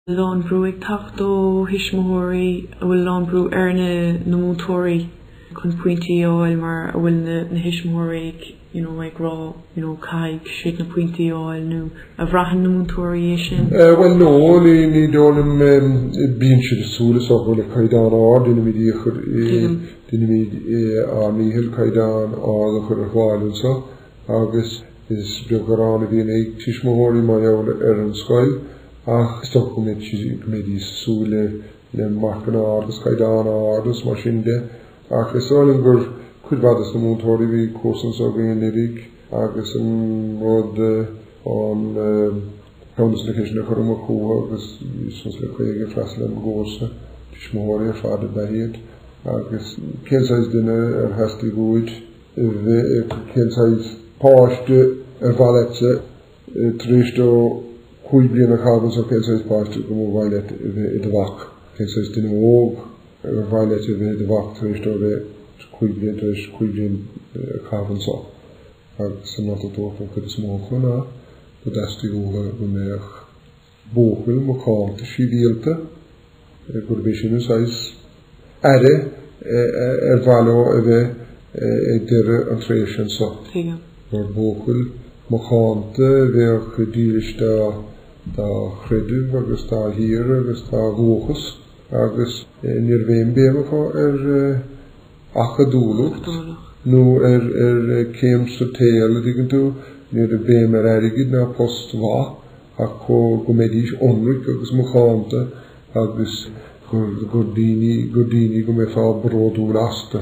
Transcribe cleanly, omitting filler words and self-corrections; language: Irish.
Lán brú ag teacht ó thuismitheoirí, an bhfuil lán brú ar na na múinteoirí chun pointí a fháil mar a bhfuil na na thuismitheoirí ag you know ag rá you know caithfidh siad na pointí a fháil nó an mbraitheann na múinteoirí é sin? Bhuel no, ní ní dóigh liom bíonn siad ag súil is dócha le caighdeán ard, déanaimid iarracht déanaimid ár ndícheall caighdeán ard a chur ar fáil anseo agus is beag gearán a bhíonn ag tuismitheoirí mar gheall ar an scoil ach is dócha go mbeidh siad, go mbeidís ag súil le, le marcanna arda agus caighdeán ard agus mar sin de ach is dóigh liom gur cuid mhaith des na múinteoirí, bhí cúrsa anseo againn anuraidh agus an rud, an, ceann des na ceisteanna a chuireadh muid chucu agus bhí suas le 50 ag freastal ar an gcúrsa, tuismitheoirí ar fad ab ea iad agus cén saghas duine ar theastaigh uait cén saghas páiste ar mhaith leatsa tar éis dó 5 bliana a chaitheamh anseo, cén saghas páiste go mba mhaith leat a bheith i do mhac, cén saghas duine óg ar mhaith leat a bheith i do mhac tar éis dó a bheith 5 bliana, tar éis 5 bliana a chaitheamh anseo. Agus an rud a dúirt an chuid is mó acu ná go dteastaigh uathu go mbeadh buachaill macánta sibhialta, gurb é sin an saghas aire ar mhaith leo a bheith ag deireadh an tréimhse anso. Tuigim. Gur buachaill macánta a bheadh dílis dá chreideamh agus dá thír agus dá dhúchas agus ní raibh aon béim acu ar acadúlacht nó ar céim sa tsaol, a dtuigeann tú, ní raibh béim ar airgead ná post mhaith ach go mbeidís ionraic agus macánta agus gur daoine, gur daoine go mbeifeá bródúil astu.